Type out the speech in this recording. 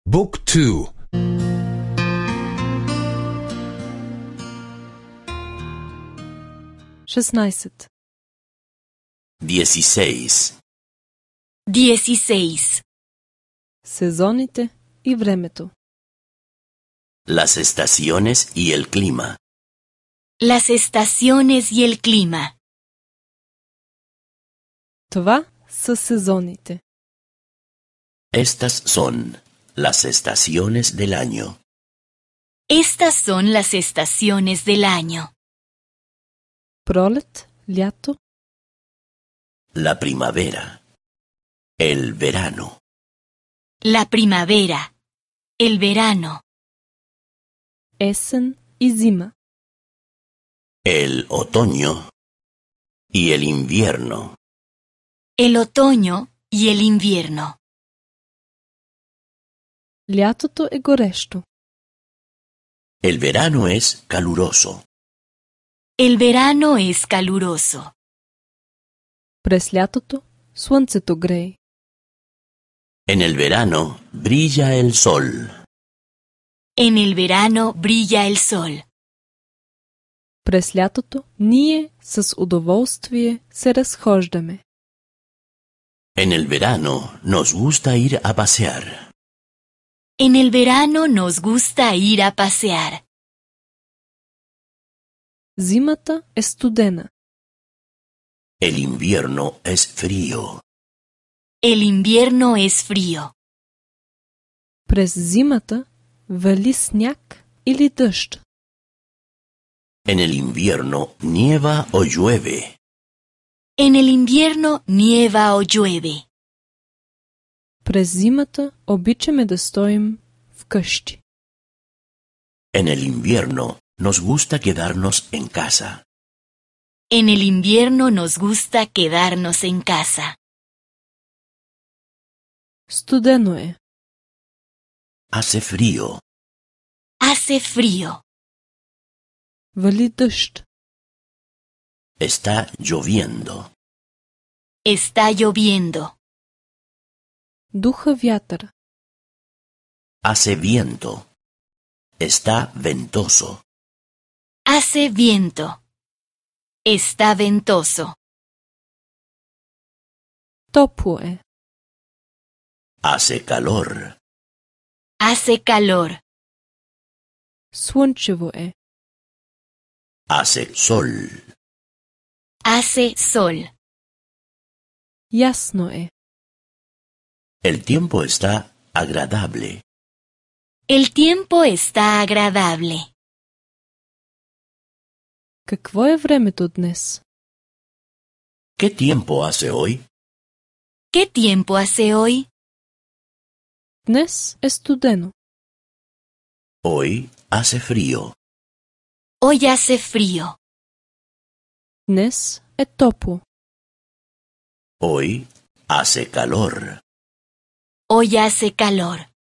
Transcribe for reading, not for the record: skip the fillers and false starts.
بوك تو. 16. 16. 16. Сезоните и времето. Las estaciones y el clima. Las estaciones y el clima. Това са сезоните. Estas son las estaciones del año. Estas son las estaciones del año. Пролет, лято, La primavera. El verano. La primavera. El verano. есен и зима. El otoño. Y el invierno. El otoño y el invierno. Лятото е горещо. El verano es caluroso. El verano es caluroso. През лятото слънцето грее. En el verano brilla el sol. En el verano brilla el sol. През лятото ние с удоволствие се разхождаме. En el verano nos gusta ir a pasear. En el verano nos gusta ir a pasear. Зимата е студена. El invierno es frío. El invierno es frío. През зимата вали сняг или дъжд. En el invierno nieva o llueve. En el invierno nieva o llueve. През зимата обичаме да стоим вкъщи. En el invierno nos gusta quedarnos en casa. En el invierno nos gusta quedarnos en casa. Студено е. Hace frío. Hace frío. Вали дъжд. Está lloviendo. Está lloviendo. Духа вятър. Hace viento. Está ventoso. Hace viento. Está ventoso. Топло е. Hace calor. Hace calor. Слънчево е. Hace sol. Hace sol. Ясно е. El tiempo está agradable. El tiempo está agradable. Какво е времето днес? ¿Qué tiempo hace hoy? ¿Qué tiempo hace hoy? Днес е студено. Hoy hace frío. Hoy hace frío. Днес е топло. Hoy hace calor. Hoy hace calor.